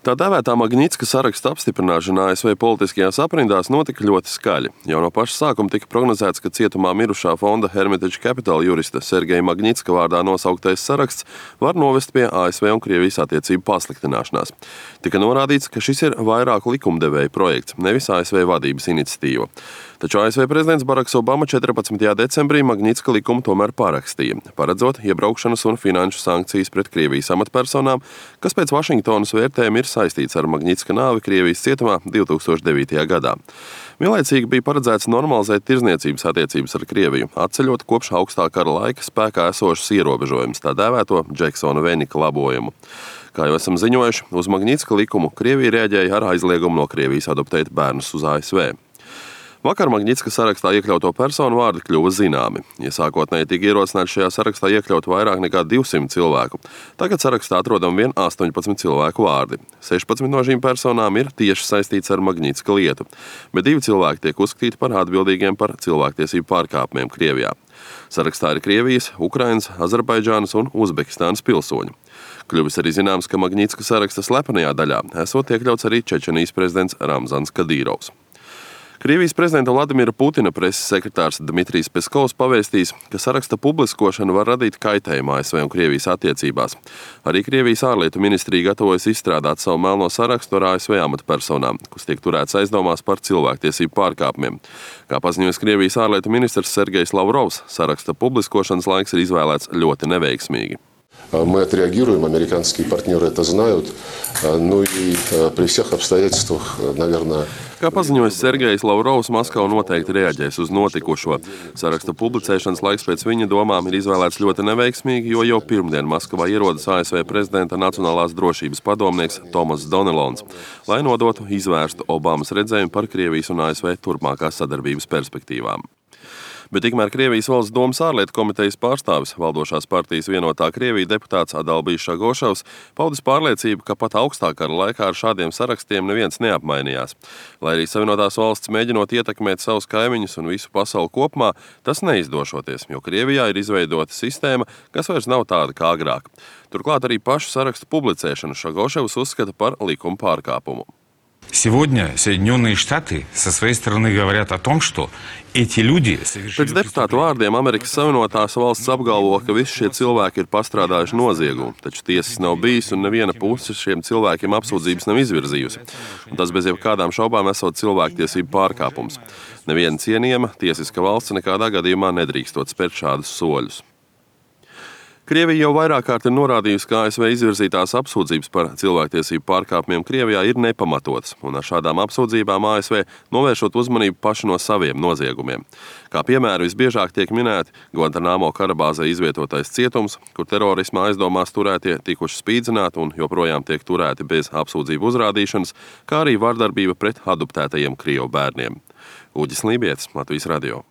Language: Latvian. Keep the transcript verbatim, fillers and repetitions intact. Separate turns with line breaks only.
Tā dēvētā Magnitska saraksta apstiprināšana A S V politiskajās aprindās notika ļoti skaļi. Jau no paša sākuma tika prognozēts, ka cietumā mirušā fonda Hermitage Capital jurista Sergeja Magnitska vārdā nosauktais saraksts var novest pie A S V un Krievijas attiecību pasliktināšanās. Tika norādīts, ka šis ir vairāku likumdevēju projekts, nevis A S V vadības iniciatīva. Taču A S V prezidents Baraks Obama četrpadsmitajā decembrī Magnitska likumu tomēr parakstīja, paredzot iebraukšanas un finanšu sankcijas pret Krievijas amatpersonām, kas pēc Vašingtonas vērtējuma ir saistīts ar Magnitska nāvi Krievijas cietumā divi tūkstoši devītajā gadā. Vienlaicīgi bija paredzēts normalizēt tirzniecības attiecības ar Krieviju, atceļot kopš augstā kara laika spēkā esošas ierobežojumus, tā dēvēto Džeksona Venika labojumu. Kā jau esam ziņojuši, uz Magnitska likumu Krievija reaģēja ar aizliegumu no Krievijas adoptēt bērnus uz A S V. Vakar Magnitska sarakstā iekļauto personu vārdi kļuva zināmi. Ja sākotnēji tika ierosināts šajā sarakstā iekļaut vairāk nekā divsimt cilvēku, tagad sarakstā atrodam vien astoņpadsmit cilvēku vārdi. sešpadsmit no šīm personām ir tieši saistīts ar Magnitska lietu, bet divi cilvēki tiek uzskatīti par atbildīgiem par cilvēktiesību pārkāpumiem Krievijā. Sarakstā ir Krievijas, Ukrainas, Azerbaidžānas un Uzbekistānas pilsoņi. Kļuvis arī zināms, ka Magnitska saraksta slepenajā daļā esot iekļauts arī Čečenijas prezidents Ramzans Kadīrovs. Krievijas prezidenta Vladimira Putina preses sekretārs Dmitrijs Peskovs pavēstījis, ka saraksta publiskošana var radīt kaitējumu A S V un Krievijas attiecībās. Arī Krievijas ārlietu ministrija gatavojas izstrādāt savu melno sarakstu ar A S V amatpersonām, kas tiek turēts aizdomās par cilvēktiesību pārkāpumiem. Kā paziņojas Krievijas ārlietu ministrs Sergejs Lavrovs, saraksta publiskošanas laiks ir izvēlēts ļoti neveiksmīgi.
Мы отреагируем, американские партнеры это знают, ну и при всех обстоятельствах, наверное...
Kā paziņojas Sergejs Lavrovs, Maskava noteikti reaģēs uz notikušo. Saraksta publicēšanas laiks pēc viņa domām ir izvēlēts ļoti neveiksmīgi, jo jau pirmdien Maskavā ierodas A S V prezidenta Nacionālās drošības padomnieks Tomas Donelons, lai nodotu izvērstu Obamas redzējumu par Krievijas un A S V turpmākās sadarbības perspektīvām. Bet tikmēr Krievijas valsts domas ārlietu komitejas pārstāvis, valdošās partijas Vienotā Krievija deputāts Adalbijs Šagošovs, paudis pārliecību, ka pat augstā kara laikā ar šādiem sarakstiem neviens neapmainījās. Lai arī Savienotās valsts mēģinot ietekmēt savus kaimiņus un visu pasauli kopumā, tas neizdošoties, jo Krievijā ir izveidota sistēma, kas vairs nav tāda kā agrāk. Turklāt arī pašu sarakstu publicēšanu Šagošovs uzskata par likuma pārkāpumu.
Сегодня Соединенные Штаты со своей стороны говорят о том, что эти люди совершили...
Pēc deputātu vārdiem Amerikas Savienotās valsts apgalvo, ka visi šie cilvēki ir pastrādājuši noziegumu, taču tiesas nav bijis un neviena puse šiem cilvēkiem apsūdzības nav izvirzījusi. Un tas bez jebkādām šaubām esot cilvēktiesību pārkāpums. Neviena cienījama tiesiska valsts nekādā gadījumā nedrīkstot spērt šādus soļus. Krievija jau vairāk kārt ir norādījusi, ka A S V izvirzītās apsūdzības par cilvēktiesību pārkāpumiem Krievijā ir nepamatotas, un ar šādām apsūdzībām A S V novēršot uzmanību paši no saviem noziegumiem. Kā piemēru visbiežāk tiek minēti Guantanamo karabāzē izvietotais cietums, kur terorisma aizdomās turētie tikuši spīdzināti un joprojām tiek turēti bez apsūdzību uzrādīšanas, kā arī vardarbība pret adoptētajiem Krievu bērniem. Uģis Lībietis, Latvijas radio.